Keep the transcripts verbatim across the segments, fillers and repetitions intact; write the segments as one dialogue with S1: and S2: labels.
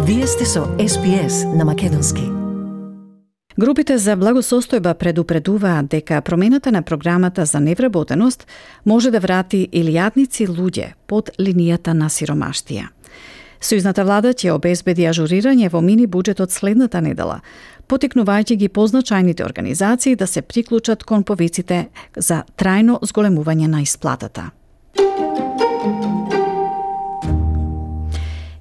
S1: Вие сте со Ес Би Ес на македонски.
S2: Групите за благосостојба предупредуваат дека промената на програмата за невработеност може да врати илјадници луѓе под линијата на сиромаштија. Сојузната влада ќе обезбеди ажурирање во мини буџетот следната недела, потикнувајќи ги позначајните организации да се приклучат кон повиците за трајно зголемување на исплатата.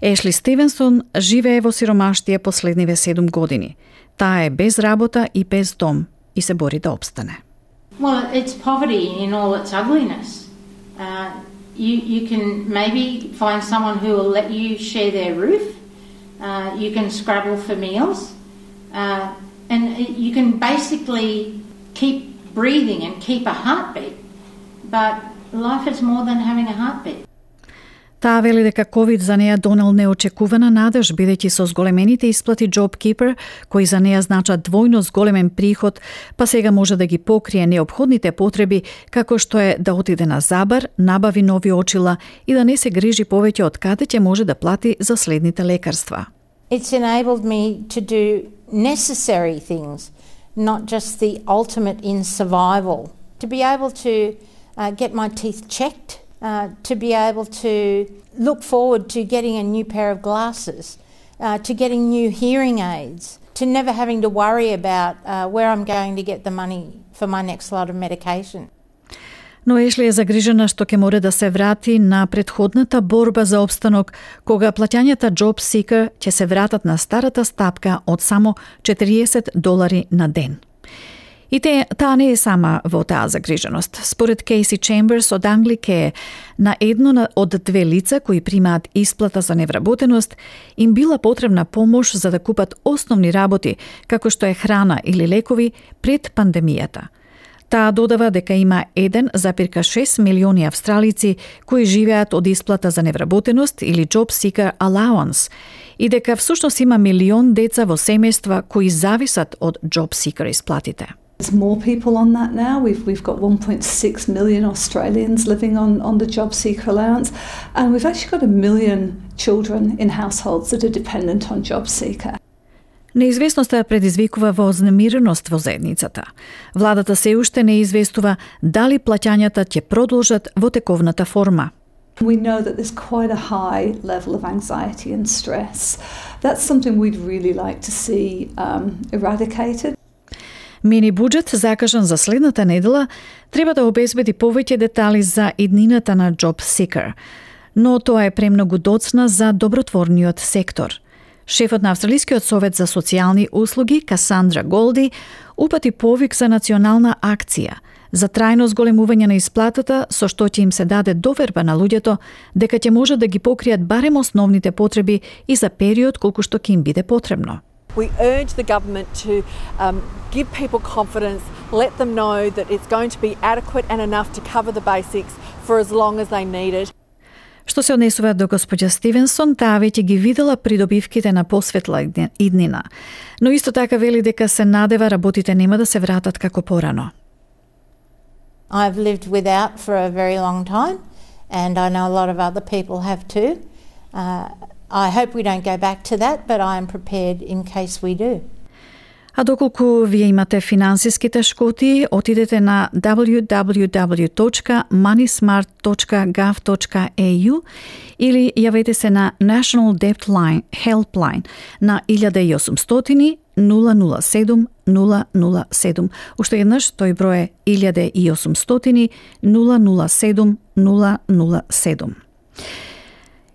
S2: Ешли Стивенсон живее во сиромаштија последниве седум години. Таа е без работа и без дом и се бори да обстане.
S3: Well, it's poverty in all its ugliness. Uh, you, you can maybe find someone who will let you share their roof. Uh, you can scrabble for meals. Uh, and you can basically keep breathing and keep a heartbeat. But life is more than having a heartbeat.
S2: Таа вели дека ковид за неа донел неочекувана надеж, бидејќи со зголемените исплати JobKeeper, кои за неа значат двојно зголемен приход, па сега може да ги покрие неопходните потреби, како што е да отиде на забар, набави нови очила и да не се грижи повеќе од каде ќе може да плати за следните лекарства.
S4: It's enabled me to do necessary things, not just the ultimate in survival. To be able to uh, get my teeth checked, Uh, to be able to look forward to getting a new pair of glasses, uh, to getting new hearing aids, to never having to worry about uh, where I'm going to get the money for my next lot of medication.
S2: Но Ешли е загрижена што ќе море да се врати на претходната борба за опстанок, кога плаќањата Job Seeker ќе се вратат на старата стапка од само четириесет долари на ден. И те, таа не е сама во таа загриженост. Според Кейси Чемберс од Англика е на едно од две лица кои примаат исплата за невработеност им била потребна помош за да купат основни работи, како што е храна или лекови пред пандемијата. Таа додава дека има еден зарез шест милиони австралици кои живеат од исплата за невработеност или Job Seeker Allowance и дека всушност има милион деца во семејства кои зависат од Job Seeker исплатите.
S5: There's more people on that now. We've we've got one point six million Australians living on, on the Job Seeker allowance, and we've actually got a million children in households that are dependent on Job Seeker.
S2: Неизвестноста предизвикува вознемиреност во заедницата. Владата се уште не известува дали плаќањата ќе продолжат во тековната форма.
S5: We know that there's quite a high level of anxiety and stress. That's something we'd really like to see um, eradicated.
S2: Мини буџет закажан за следната недела треба да обезбеди повеќе детали за иднината на Job Seeker, но тоа е премногу доцна за добротворниот сектор. Шефот на Австралискиот совет за социјални услуги, Касандра Голди, упати повик за национална акција за трајно зголемување на исплатата, со што ќе им се даде доверба на луѓето дека ќе може да ги покријат барем основните потреби и за период колку што ќе им биде потребно.
S6: We urge the government to um, give people confidence, let them know that it's going to be adequate and enough to cover the basics for as long as they need it.
S2: Што се однесува до господја Стивенсон, таа веќе ги видела придобивките на посветла иднина, но исто така вели дека се надева работите нема да се вратат како порано.
S4: I've lived without for a very long time, and I know a lot of other people have too. Uh, I hope we don't go back to that, but I am prepared in case we do.
S2: А доколку вие имате финансиски тешкоти, отидете на дабљу дабљу дабљу точка moneysmart точка gov точка e u или јавете се на National Debt Line Helpline на илјада и осумстотини нула нула седум нула нула седум. Уште еднаш тој број е илјада и осумстотини нула нула седум нула нула седум.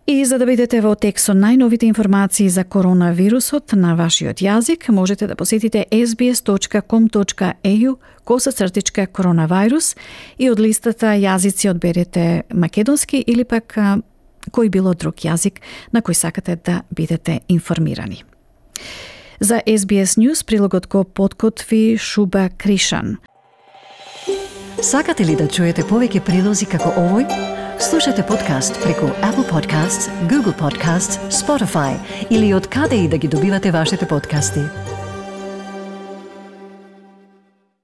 S2: И за да бидете во тек со најновите информации за коронавирусот на вашиот јазик, можете да посетите ес би ес точка ком точка e u косацртичка коронавирус и од листата јазици одберете македонски или пак а, кој било друг јазик на кој сакате да бидете информирани. За ес би ес News прилогот го подкотви Шуба Кришан.
S1: Сакате ли да чуете повеќе прилози како овој? Слушате подкаст преку Apple Podcasts, Google Podcasts, Spotify или од каде и да ги добивате вашите подкасти.